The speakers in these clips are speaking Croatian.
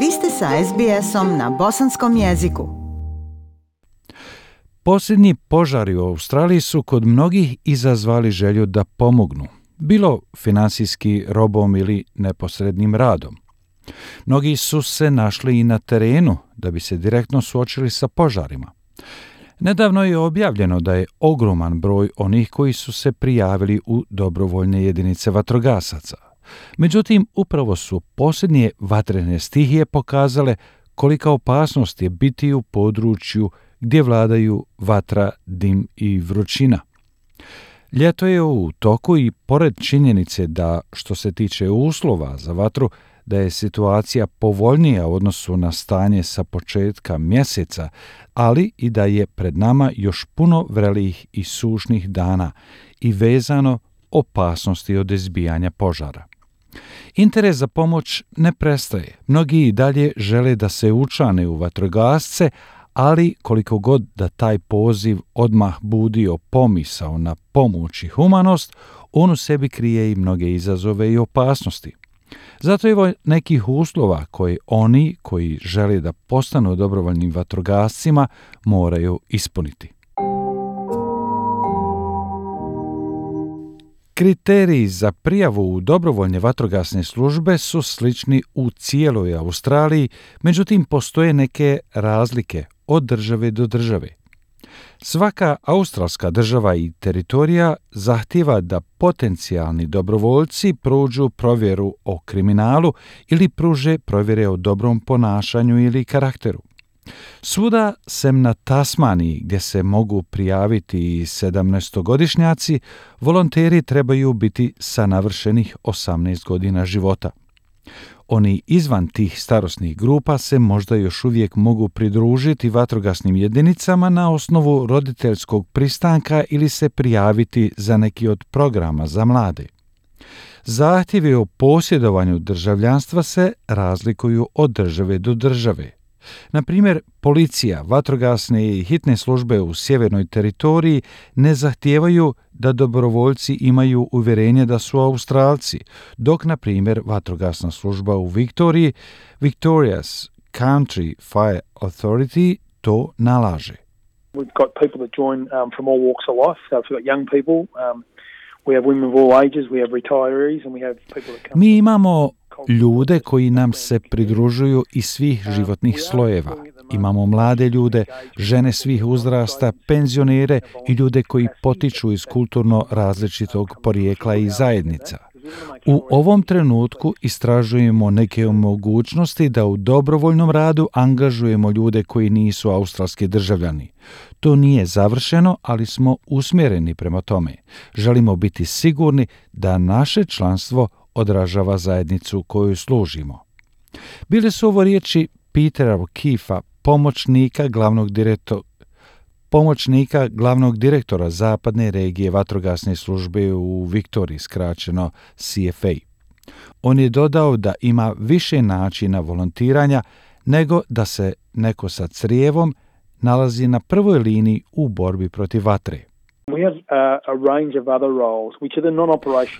Vi ste sa SBS-om na bosanskom jeziku. Posljednji požari u Australiji su kod mnogih izazvali želju da pomognu, bilo finansijski, robom ili neposrednim radom. Mnogi su se našli i na terenu da bi se direktno suočili sa požarima. Nedavno je objavljeno da je ogroman broj onih koji su se prijavili u dobrovoljne jedinice vatrogasaca. Međutim, upravo su posljednje vatrene stihije pokazale kolika opasnost je biti u području gdje vladaju vatra, dim i vrućina. Ljeto je u toku i pored činjenice da, što se tiče uslova za vatru, da je situacija povoljnija u odnosu na stanje sa početka mjeseca, ali i da je pred nama još puno vrelijih i sušnih dana i vezano opasnosti od izbijanja požara. Interes za pomoć ne prestaje. Mnogi i dalje žele da se učlane u vatrogasce, ali koliko god da taj poziv odmah budio pomisao na pomoć i humanost, on u sebi krije i mnoge izazove i opasnosti. Zato je nekih uslova koje oni koji žele da postanu dobrovoljnim vatrogascima moraju ispuniti. Kriteriji za prijavu u dobrovoljne vatrogasne službe su slični u cijeloj Australiji, međutim postoje neke razlike od države do države. Svaka australska država i teritorija zahtijeva da potencijalni dobrovoljci prođu provjeru o kriminalu ili pruže provjere o dobrom ponašanju ili karakteru. Svuda sem na Tasmaniji, gdje se mogu prijaviti i 17-godišnjaci, volonteri trebaju biti sa navršenih 18 godina života. Oni izvan tih starosnih grupa se možda još uvijek mogu pridružiti vatrogasnim jedinicama na osnovu roditeljskog pristanka ili se prijaviti za neki od programa za mlade. Zahtjevi o posjedovanju državljanstva se razlikuju od države do države. Na primjer, policija, vatrogasne i hitne službe u sjevernoj teritoriji ne zahtijevaju da dobrovoljci imaju uvjerenje da su Australci, dok, na primjer, vatrogasna služba u Viktoriji, Victoria's Country Fire Authority, to nalaže. We've got people that join from all walks of life. So we've got young people, we have women of all ages, we have retirees, and we have people that come. Mi imamo ljude koji nam se pridružuju iz svih životnih slojeva. Imamo mlade ljude, žene svih uzrasta, penzionere i ljude koji potiču iz kulturno različitog porijekla i zajednica. U ovom trenutku istražujemo neke mogućnosti da u dobrovoljnom radu angažujemo ljude koji nisu australski državljani. To nije završeno, ali smo usmjereni prema tome. Želimo biti sigurni da naše članstvo odražava zajednicu koju služimo. Bile su ovo riječi Petera O'Keefea, pomoćnika glavnog direktora zapadne regije vatrogasne službe u Viktoriji, skraćeno CFA. On je dodao da ima više načina volontiranja nego da se neko sa crijevom nalazi na prvoj liniji u borbi protiv vatre.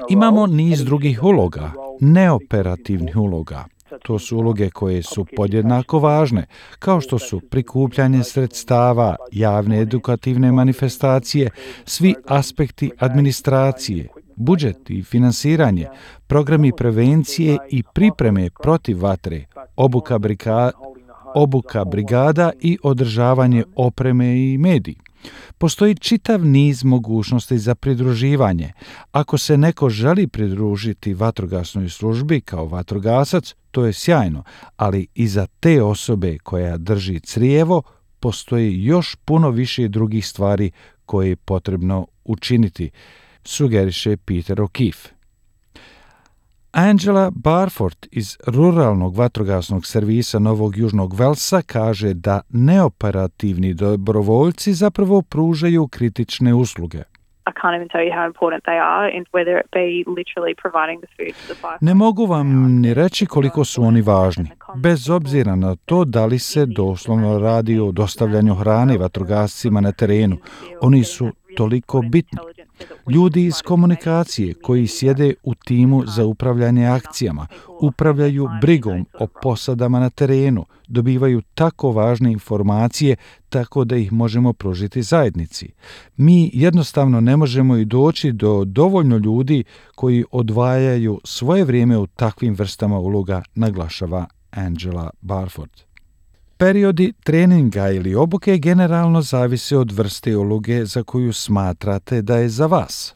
Imamo niz drugih uloga, neoperativnih uloga. To su uloge koje su podjednako važne, kao što su prikupljanje sredstava, javne edukativne manifestacije, svi aspekti administracije, budžet i finansiranje, programi prevencije i pripreme protiv vatre, obuka brigada i održavanje opreme i mediji. Postoji čitav niz mogućnosti za pridruživanje. Ako se neko želi pridružiti vatrogasnoj službi kao vatrogasac, to je sjajno, ali i za te osobe koja drži crijevo postoji još puno više drugih stvari koje je potrebno učiniti, sugeriše Peter O'Keefe. Angela Barford iz ruralnog vatrogasnog servisa Novog Južnog Velsa kaže da neoperativni dobrovoljci zapravo pružaju kritične usluge. Ne mogu vam ni reći koliko su oni važni, bez obzira na to da li se doslovno radi o dostavljanju hrane vatrogascima na terenu. Oni su toliko bitni. Ljudi iz komunikacije koji sjede u timu za upravljanje akcijama, upravljaju brigom o posadama na terenu, dobivaju tako važne informacije tako da ih možemo pružiti zajednici. Mi jednostavno ne možemo i doći do dovoljno ljudi koji odvajaju svoje vrijeme u takvim vrstama uloga, naglašava Angela Barford. Periodi treninga ili obuke generalno zavise od vrste uloge za koju smatrate da je za vas.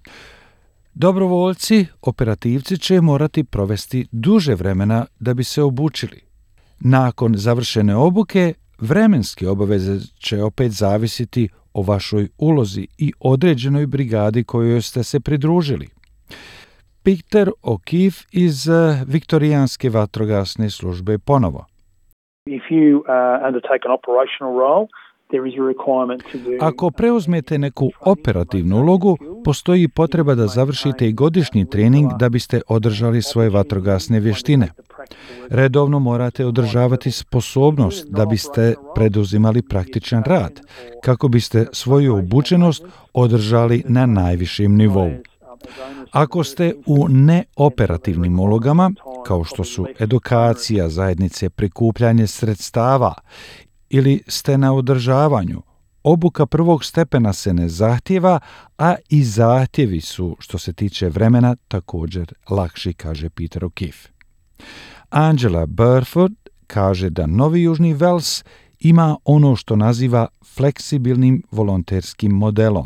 Dobrovoljci, operativci će morati provesti duže vremena da bi se obučili. Nakon završene obuke, vremenske obaveze će opet zavisiti o vašoj ulozi i određenoj brigadi kojoj ste se pridružili. Peter O'Keefe iz Viktorijanske vatrogasne službe ponovo. If you undertake an operational role, there is a requirement to do... Ako preuzmete neku operativnu ulogu, postoji potreba da završite i godišnji trening da biste održali svoje vatrogasne vještine. Redovno morate održavati sposobnost da biste preduzimali praktičan rad, kako biste svoju obučenost održali na najvišem nivou. Ako ste u neoperativnim ulogama, kao što su edukacija zajednice, prikupljanje sredstava ili ste na održavanju, obuka prvog stepena se ne zahtijeva, a i zahtjevi su, što se tiče vremena, također lakši, kaže Peter O'Keefe. Angela Barford kaže da Novi Južni Vels ima ono što naziva fleksibilnim volonterskim modelom.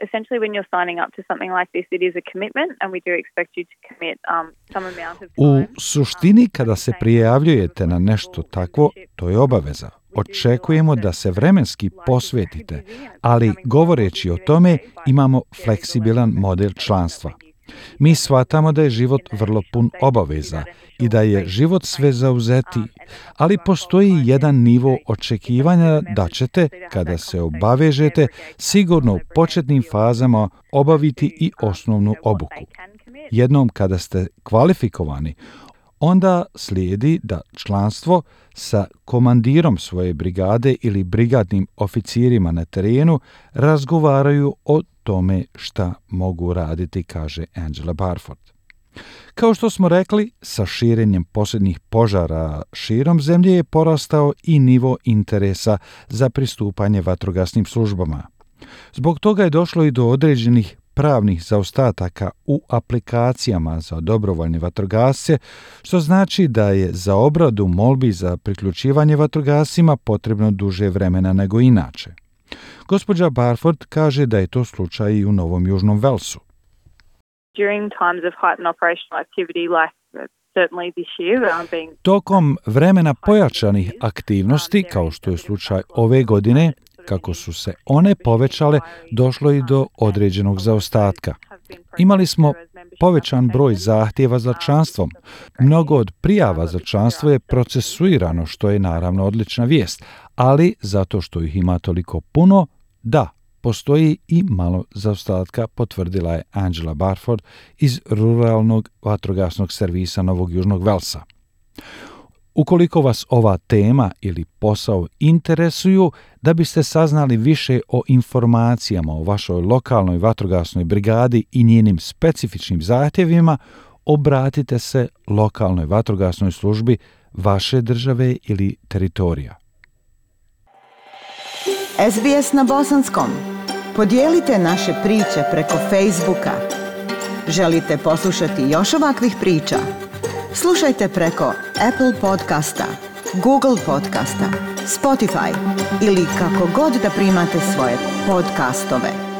Essentially, when you're signing up to something like this, it is a commitment, and we do expect you to commit some amount of time. U suštini, kada se prijavljujete na nešto takvo, to je obaveza. Očekujemo da se vremenski posvetite, ali govoreći o tome imamo fleksibilan model članstva. Mi shvatamo da je život vrlo pun obaveza i da je život sve zauzetiji, ali postoji jedan nivo očekivanja da ćete, kada se obavežete, sigurno u početnim fazama obaviti i osnovnu obuku. Jednom kada ste kvalifikovani, onda slijedi da članstvo sa komandirom svoje brigade ili brigadnim oficirima na terenu razgovaraju o tome šta mogu raditi, kaže Angela Barford. Kao što smo rekli, sa širenjem posljednjih požara širom zemlje je porastao i nivo interesa za pristupanje vatrogasnim službama. Zbog toga je došlo i do određenih pravnih zaostataka u aplikacijama za dobrovoljne vatrogasce, što znači da je za obradu molbi za priključivanje vatrogascima potrebno duže vremena nego inače. Gospođa Barford kaže da je to slučaj i u Novom Južnom Velsu. Tokom vremena pojačanih aktivnosti, kao što je slučaj ove godine, kako su se one povećale, došlo i do određenog zaostatka. Imali smo povećan broj zahtjeva za članstvom. Mnogo od prijava za članstvo je procesuirano, što je naravno odlična vijest, ali zato što ih ima toliko puno, da, postoji i malo zaostatka, potvrdila je Angela Barford iz ruralnog vatrogasnog servisa Novog Južnog Velsa. Ukoliko vas ova tema ili posao interesuju, da biste saznali više o informacijama o vašoj lokalnoj vatrogasnoj brigadi i njenim specifičnim zahtjevima, obratite se lokalnoj vatrogasnoj službi vaše države ili teritorija. SBS na bosanskom. Podijelite naše priče preko Facebooka. Želite poslušati još ovakvih priča? Slušajte preko Apple podcasta, Google podcasta, Spotify ili kako god da primate svoje podcastove.